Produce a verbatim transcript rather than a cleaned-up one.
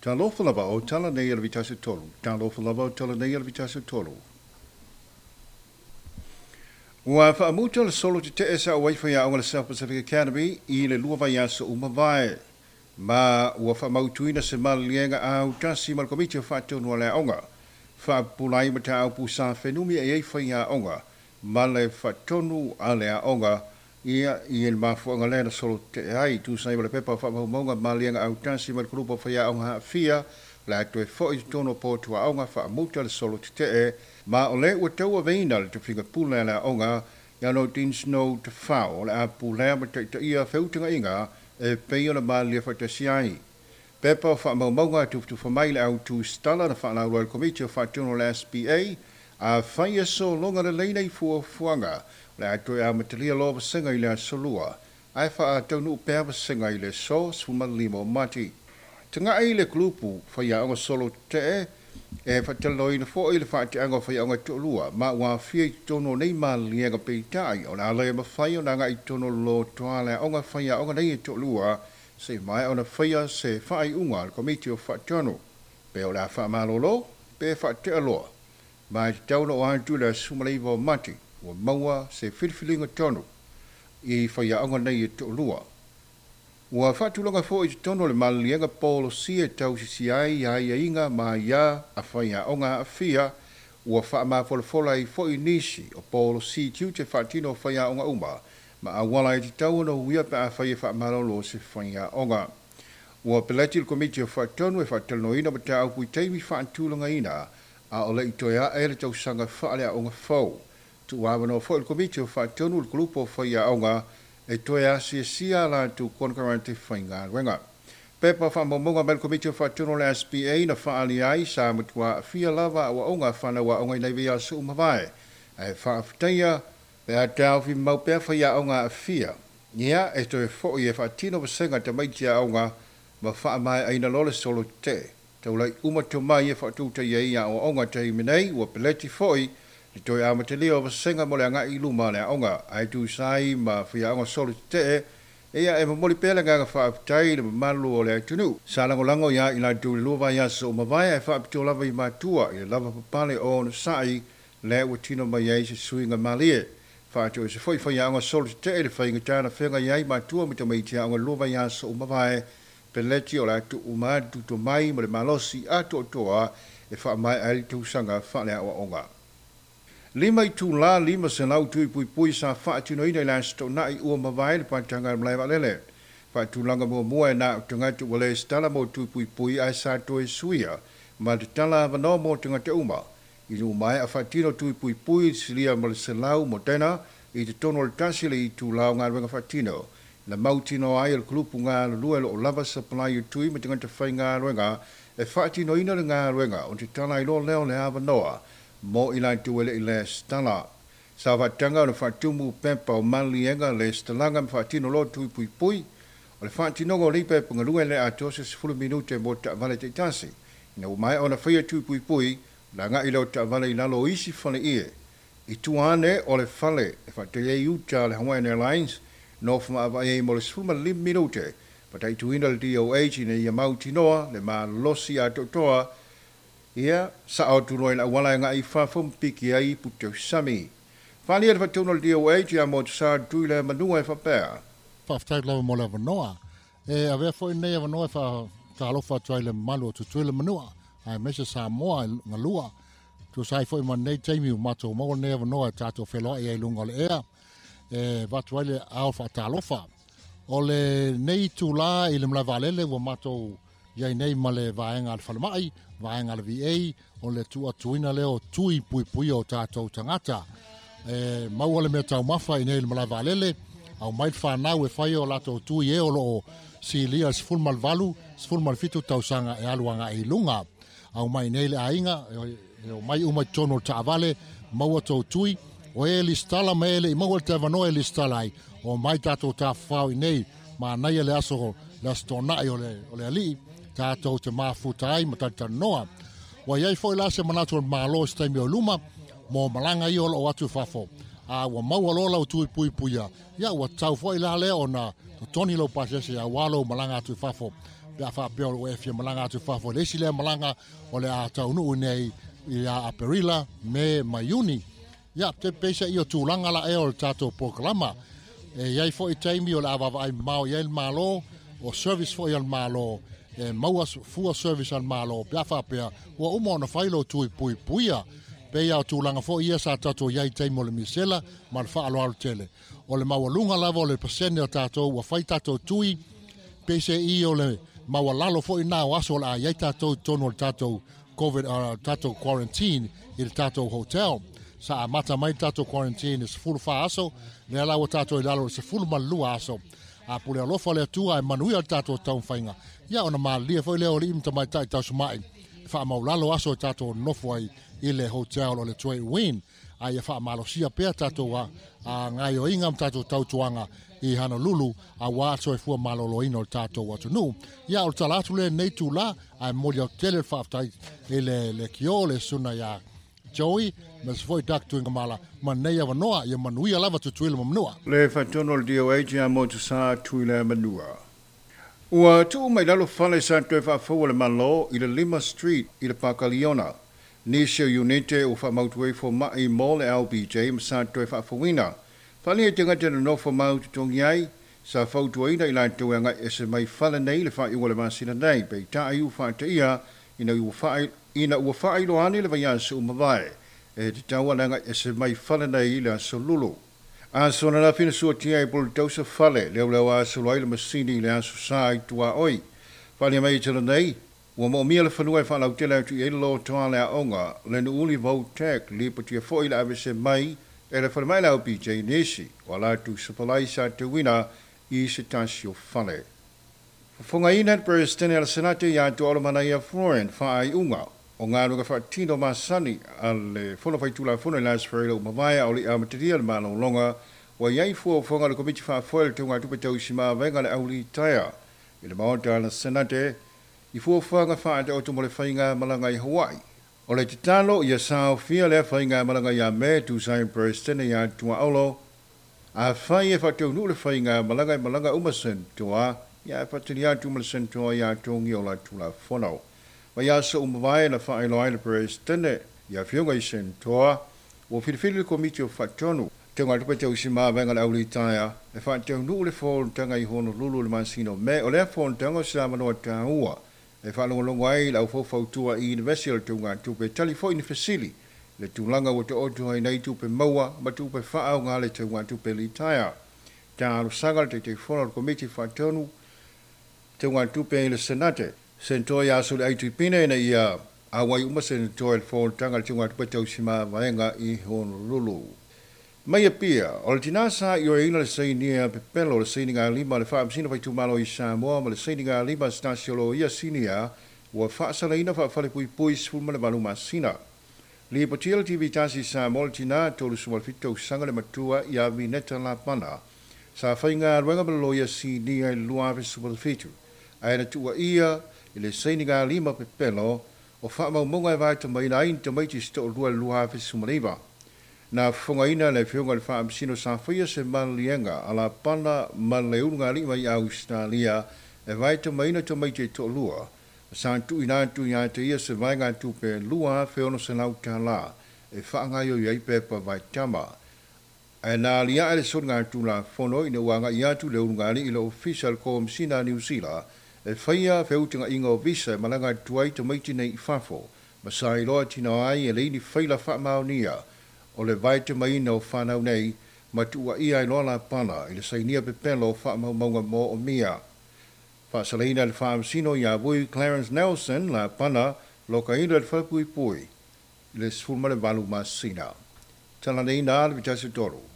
Talofa lava o tala nei o le vitasi tolu. Talofa lava o tala nei o le vitasi tolu. Ua faamuta le solo tetee sa o faiaoga le South Pacific Academy i le lua vaiaso ua mavae. Ma ua faamautuina se maliliega autasi ma le Komiti o Faatonu a le Aoga. Faapulai mataupu sa fenumi e ai faiaoga ma le faatonu a le aoga ia i le mafuaaga lea na solo tetee ai. Tusa ai ma le pepa o faamaumauga maliliega autasi ma le kulupu o faiaoga aafia le a toe foi i totonu o potu aoga faamuta le solo tetee ma o le ua tauaveina le tofiga pule a le aoga ia no Dean Snow Tafao o le a pulea ma taitaia feutagaiga e pei ona malilie faatasi ai. Pepa o faamaumauga tufutufa mai le autu stala na faalauiloa e le Komiti o Faatonu o le S B A a faia sologa lelei nei fuafuaga o le a toe amatalia loa vasega i le aso lua ae faataunuu pea vasega i le aso sefulumalima o Mati. Taga'i le kulupu faiaoga solo tetee e faatalanoaina foi le faateaga o faiaoga toalua ma ua aafia i totonu o nei maliliega peitai o le a le mafai ona agai i totonu o le lotoa a le aoga faiaoga nei e toalua se i maea ona faia se faaiuga a le Komiti o Faatonu pe o le a faamalolo pe faatea loa ma e tatau ona oo atu i le aso sefulumalaiva o Mati ua maua se filifiliga tonu i faiaoga nei e toalua. Ua faatulaga foi i totonu o le maliliega polosia e tausisi ai aiaiga ma aiā a faiaoga aafia ua faamafolafola ai foi nisi o polosi tiute faatino o faiaoga uma ma auala e tatau ona uia pe afai e faamalolo se faiaoga. Ua peleti le Komiti o Faatonu e faatalanoaina mataupu i taimi faatulagaina a o le i toe ae le tausaga faaleaoga fou. Tuuavanoa foi le Komiti o Faatonu le kulupu o faiaoga e toe asiasia latou konekarate faigaluega. Pepa faamaumauga mai le Komiti o Faatonu o le S B A na faaali ai sa matua aafia lava aoaoga fanau aoga i nai vaiaso ua mavae ae faafetaia pe a taofi mau pea faiaoga aafia. Ia e toe foi e faatino vasega tamaiti aoga ma faamaeaina loa le solo tetee. Taulai uma tomai e faatutaia ai aoaoga taimi nei ua peleti foi le toe amatalia o vasega mo le agai i luma o le aoga ae tusa ai ma faiaoga solo tetee ia e momoli pea le agaga faafetai i le mamalu o le atunuu. Sa lagolago ia i latou i le lua vaiaso ua mavae ae faapitoa lava i matua i le lava papale o onosai lea ua tino mai ai se suiga malie. Faatoese foi faiaoga solo tetee i le faigata na feagai ai matua ma tamaiti aoga i le lua vaiaso ua mavae peleti o le a tuuma atu tomai ma le malosi atoatoa e faamaea ai le tausaga faaleaoaoga. Lima itulā lima selau tui puipui sa faatinoina i le aso Toonai ua mavae le paetaga o le malae vaalele. Faatulaga muamua e na o tagata ua le resitala mo tui puipui ae sa toe suia ma tatala avanoa mo tagata uma. I nuu maea faatino tui puipui i silia ma le selau Moderna i totonu o le tasi le itulā o galuega faatino. Na mautinoa ai e le kulupu galulue o loo lava supply o tui ma tagata faigaluega e faatinoina le galuega o tatala ai loa lea o le avanoa mo i latou e le i resitala. Sa faataga ona faatumu pepa o maliliega resitalaga ma faatino loa tui puipui. O le faatinoga o nei pepa galue le atoa se sefulu minute mo taavale taitasi. Ina ua maea ona faia tui puipui, na agai lea o taavale i lalo o isi faleie. I tua ane o le fale e faatali ai uta a le Hawaiian Airlines, nofo maavaai ai mo le sefulumalima minute, mataituina le D O H ina ia mautinoa le malosi atoatoa ia sao atu loa i le auala e agai i fafo ma piki ai i Putausami. Faaalia le faatonu o le D O H ia mo te sa tui le manua e faapea. Faafetai lava mo le avanoa. E avea foi nei avanoa e faatalofa atu ai le mamalu o Tutuila Manua, aemaise Samoa i galua. Tusa ai foi ma nei taimi ua matou maua nei avanoa e tatou feloai ai i luga o le ea. E avatu ai le ao faatalofa. O le nei itulā i le malae vaalele ua matou iai nei ma le vaega a le falemai, vaega a le V A, o le tuuatuina lea o tui puipuia o tatou tagata. E maua le mea taumafa i nei i le malae vaalele, au mai le fanau e fai o latou tui e o loo silia le sefulu ma le valu, sefulu ma le fitu tausaga e alu agai i luga. Au mai nei le aiga, e o mai uma i totonu o le taavale, maua tou tui, o e listala ma e le i maua le teavanoa e listala ai, o mai tatou tafafao i nei, manaia le aso, le aso Toonai o le, o le alii, tatou te mafuta ai ma talitalanoa. Ua iai foi la se manatu o le Malo i se taimi o luma, mo malaga ia o loo atu i fafo. A ua maua loa lau tui puipuia, ia ua tatau foi la lea ona totoni lau pasese auā lou malaga atu i fafo. Pe a faapea o e fia malaga atu fafo le isi lea malaga o le a taunuu nei ia Aperila, Me ma Iuni. Ia te peisa i o tulaga la e o le tatou polokalama. E iai foi taimi o le a vaavaai mamao i ai le Malo, o service foi a le Malo, e maua fua service a le Malo pe a faapea ua uma ona fai lo tui puipuia. Pe ia o tulaga foi ia sa tatou iai taimi o le misela ma le faaaloalo tele. O le maualuga lava o le pasene o tatou ua fai tatou tui, peise i o le maualalo foi na o aso o le a iai tatou tonu o le tatou COVID, uh, tatou quarantine i le tatou hotel. Sa amata mai tatou quarantine i sefulu fa aso, lea la ua tatou i lalo i sefulu ma le lua aso. A pule alofa le Atua e manuia le tatou taumafaiga. Ia ona malilie foi lea o alii ma tamaitai tausumai. E faamaulalo aso e tatou nofo ai i le hotel o le Trade Wind. A ia faamalosia pea tatou a, a gaioiga ma tatou tautuaga i Honolulu auā soifua maloloina o le tatou atunuu. Ia o le tala atu lenei tula, ae momoli atu tele le faafetai i le le kio le suna iā Joey ma se foi Doug Tuigamala ma nei avanoa ia manuia lava Tutuila ma Manua. Le faatonu o le D O H ia mo tusa Tuila Manua. Ua tuu mai lalo fale sa toe faafoua le Malo i le Lima Street i le Pakaliona. Nisi o unite ua faamautu ai foma'i mo le L B J ma sa toe faafouina. Faalia i tagata na nofo mau totogi ai, sa fautuaina i latou e agai ese mai fale nei le faaiuga o le masina nei, peitai ua faataia ina ua faa ina ua faailoa ane le vaiaso uma vae e tatau ana agai ese mai fale nei i le aso lulu. Aso ananafi na suatia ai polo tausa fale, leoleo aso ai le masini i le aso sa i tuaoi. Faalia mai i tala nei, ua moomia le fanua e faalautele atu i ai le lotoa le aoga, le Nu'uuli Vo-Tech, lipotia foi le avese mai e le falemai le L B J nisi, o latou sapalai sa tauina i se tasi o fale. Fofogaina le Peresetene a le Senate ia Tuaolamanaia Floren faaiuga o galuega faatino masani a le Fono Faitulafono i le Aso Faraile ua mavae a o le amatalia le malologa ua iai fuafuaga a le Komiti Faafoe le Teugatupe Tausimavaega le Aulitaia i le Maota a le Senate i fuafuaga faataoto mo le faiga malaga i Hawaii. O le tatalo ia saofia lea faiga malaga ia Me tusa ai Peresetene ia Tuaolo a fai e faataunuu le faiga malaga e malaga uma sentoa ia e faatalia atu ma le sentoa ia togi o la Tulafono. Ma ia aso uma vae na faailoa ai le Peresetene ia afioga i sentoa ua filifili le Komiti o Faatonu Teugatupe Tausimavaega le Aulitaia e faataunuu le fonotaga i Honolulu le masina o Me. O lea fonotaga o se avanoa taua e faalogologo ai le aufaufautua i University o le Teugatupe tali foi ni fesili le tulaga ua taoto ai nei tupe maua ma tupe faaaoga le Teugatupe litaia. Talosaga le Taitaifono o le Komiti Faatonu Teugatupe i le Senate sentoa ia aso le aitipine ina ia auai uma sentoa i le fonotaga le Teugatupe Tausimavaega i Honolulu. Mai Apia, o le tina sa ioeina le sainia pepelo le sainiga lima le faamasino faitumalo i Samoa ma le sainiga lima se tasi o loia sinia ua faasalaina faafalepuipui sefulu ma le valu masina. Lipotia le T V tasi i Samoa le tina tolusefulu ma le fitu tausaga le matua ia Vineta Lapana sa faigaluega ma le loia sinia i le lua afe sefulu ma le fitu. Ae na tuuaia i le sainiga lima pepelo o faamaumauga e vaetamaina ai ni tamaiti se toalua i le lua afe sefulu ma le iva. Na fofogaina le afioga i le faamasino sa faia se maliliega a Lapana ma le ulugalima i Australia e vaetamaina tamaiti e toalua. Sa tuuina atu ia te ia se vaega tupe lua afe ono selau tala e faagaioi ai pepa vaetama. Ae na aliae le soliga Tulafono ina ua agai atu le ulugalii i le Ofisa o le Komesina a Niu Sila e faia feutagaiga o visa e malaga atu ai tamaiti nei i fafo ma sa iloa tina ai e leai ni faila faamaonia o le vaetamaina o fanau nei ma tuuaia ai loa Lapana i le sainia pepelo o faamaumauga moomia. Faasalaina le faamasino ia Vui Clarence Nelson Lapana lokaina le falepuipui i le sefulu ma le valu masina. Talaneina le vitasi tolu.